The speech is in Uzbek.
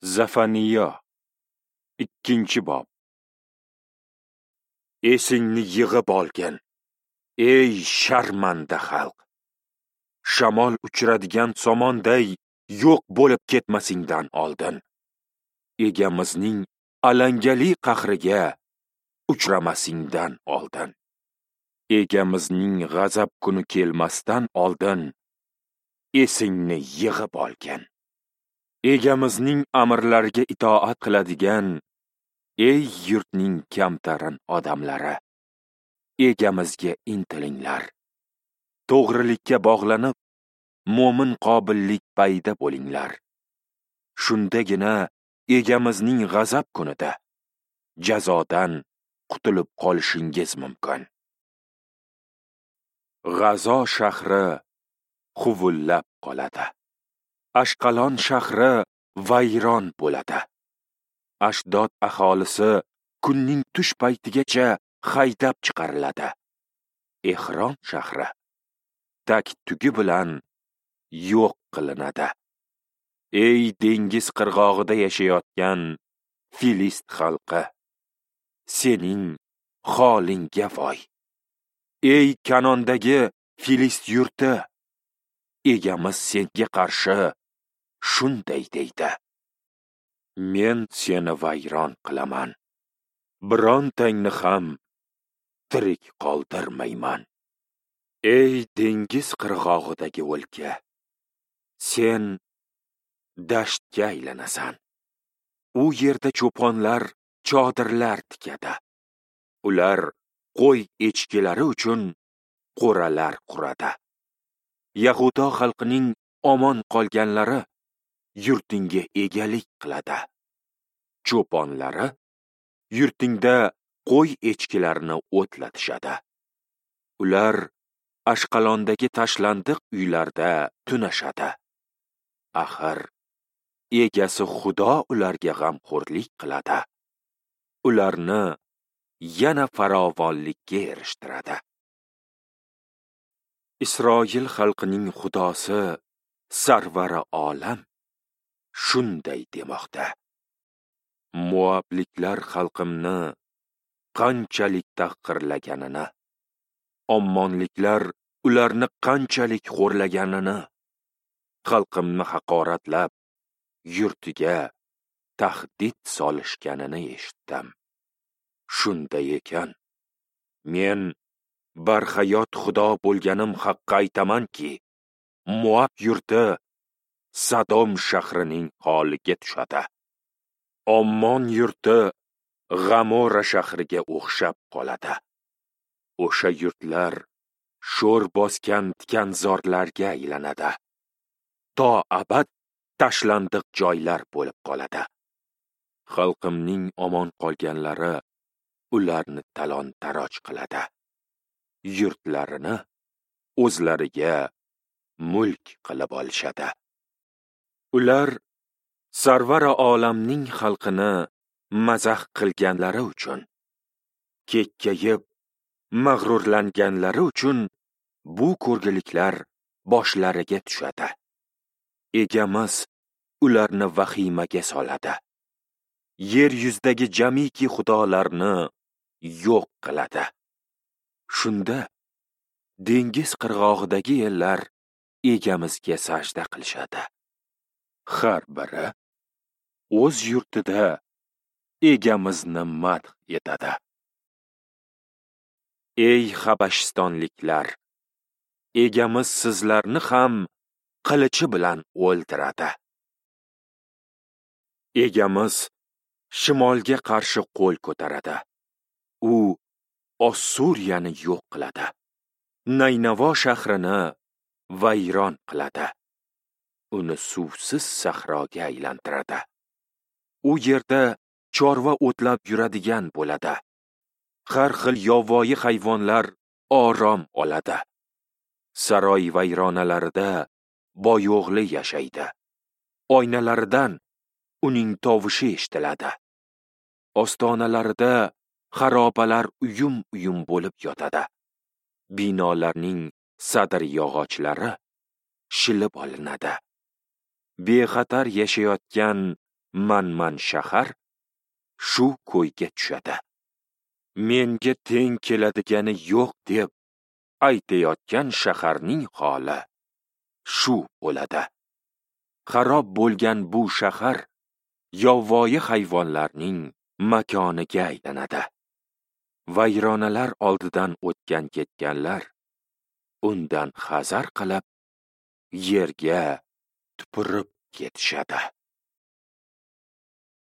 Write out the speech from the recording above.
Zafaniyo 2-bob. Esingni yig'ib olgin, ey sharmanda xalq! Shamol uchiradigan somonday yo'q bo'lib ketmasingdan oldin, Egamizning alangali qahriga uchramasingdan oldin, Egamizning g'azab kuni kelmasdan oldin esingni yig'ib olgin. Egamizning amrlariga itoat qiladigan ey yurtning kamtarin odamlari, Egamizga intilinglar. To'g'rilikka bog'lanib, mo'min qobillik payda bo'linglar. Shundagina Egamizning g'azab kunida jazodan qutulib qolishingiz mumkin. G'azo shahri huvullab qoladi. Ashqalon shahri vayron bo'ladi. Ashdod aholisi kunning tush paytigacha haydab chiqariladi. Ehron shahri tak-tugi bilan yo'q qilinadi. Ey dengiz qirg'og'ida yashayotgan Filist xalqi, sening holingga voy! Ey Kanondagi Filist yurti, Egamiz senga qarshi shunday deydi: Men seni vayron qilaman, birontangni ham tirik qoldirmayman. Ey dengiz qirg'og'idagi o'lka, sen dashtga aylanasan. U yerda cho'ponlar chodirlar tikadi. Ular qo'y echkilari uchun qo'ralar quradi. Yahudo xalqining omon qolganlari yurtingga egalik qiladi. Cho'ponlari yurtingda qo'y echkilarini o'tlatishadi. Ular Ashqalondagi tashlandiq uylarda tunashadi. Axir egasi Xudo ularga g'amxo'rlik qiladi. Ularni yana farovonlikka erishtiradi. Isroil xalqining Xudosi Sarvari olam shunday demoqda: Moabliklar xalqimni qanchalik tahqirlaganini, Ommonliklar ularni qanchalik xo'rlaganini, xalqimni haqoratlab yurtiga tahdid solishganini eshitdim. Shunday ekan, men barhayot Xudo bo'lganim haqqa aytamanki, Moab yurti Sodom shahrining holiga tushadi. Ommon yurti G'amora shahriga o'xshab qoladi. O'sha yurtlar sho'r bosgan tikanzorlarga aylanadi. To abad tashlandiq joylar bo'lib qoladi. Xalqimning omon qolganlari ularni talon-taroj qiladi. Yurtlarini o'zlariga mulk qilib olishadi. Ular Sarvari olamning xalqini mazax qilganlari uchun, kekkayib mag'rurlanganlari uchun bu ko'rgiliklar boshlariga tushadi. Egamiz ularni vahimaga soladi. Yer yuzidagi jamiki xudolarni yo'q qiladi. Shunda dengiz qirg'og'idagi ellar Egamizga sajda qilishadi. Har biri o'z yurtida Egamizni madh etadi. Ey Habashistonliklar, Egamiz sizlarni ham qilichi bilan o'ldiradi. Egamiz shimolga qarshi qo'l ko'taradi. U Ossuriyani yo'q qiladi. Naynavo shahrini vayron qiladi. Uni suvsiz sahroga aylantiradi. U yerda chorva o'tlab yuradigan bo'ladi. Har xil yovvoyi hayvonlar orom oladi. Saroy vayronalarida boyo'g'li yashaydi. Oynalaridan uning tovushi eshitiladi. Ostonalarida xarobalar uyum-uyum bo'lib yotadi. Binolarning sadir yog'ochlari shilib olinadi. Bexatar yashayotgan Manman shahar shu ko'yga tushadi. Menga teng keladigani yo'q deb aytayotgan shaharning holi shu bo'ladi. Xarob bo'lgan bu shahar yovvoyi hayvonlarning makoniga aylanadi. Vayronalar oldidan o'tgan ketganlar undan hazar qilib, yerga tupurib ketishadi.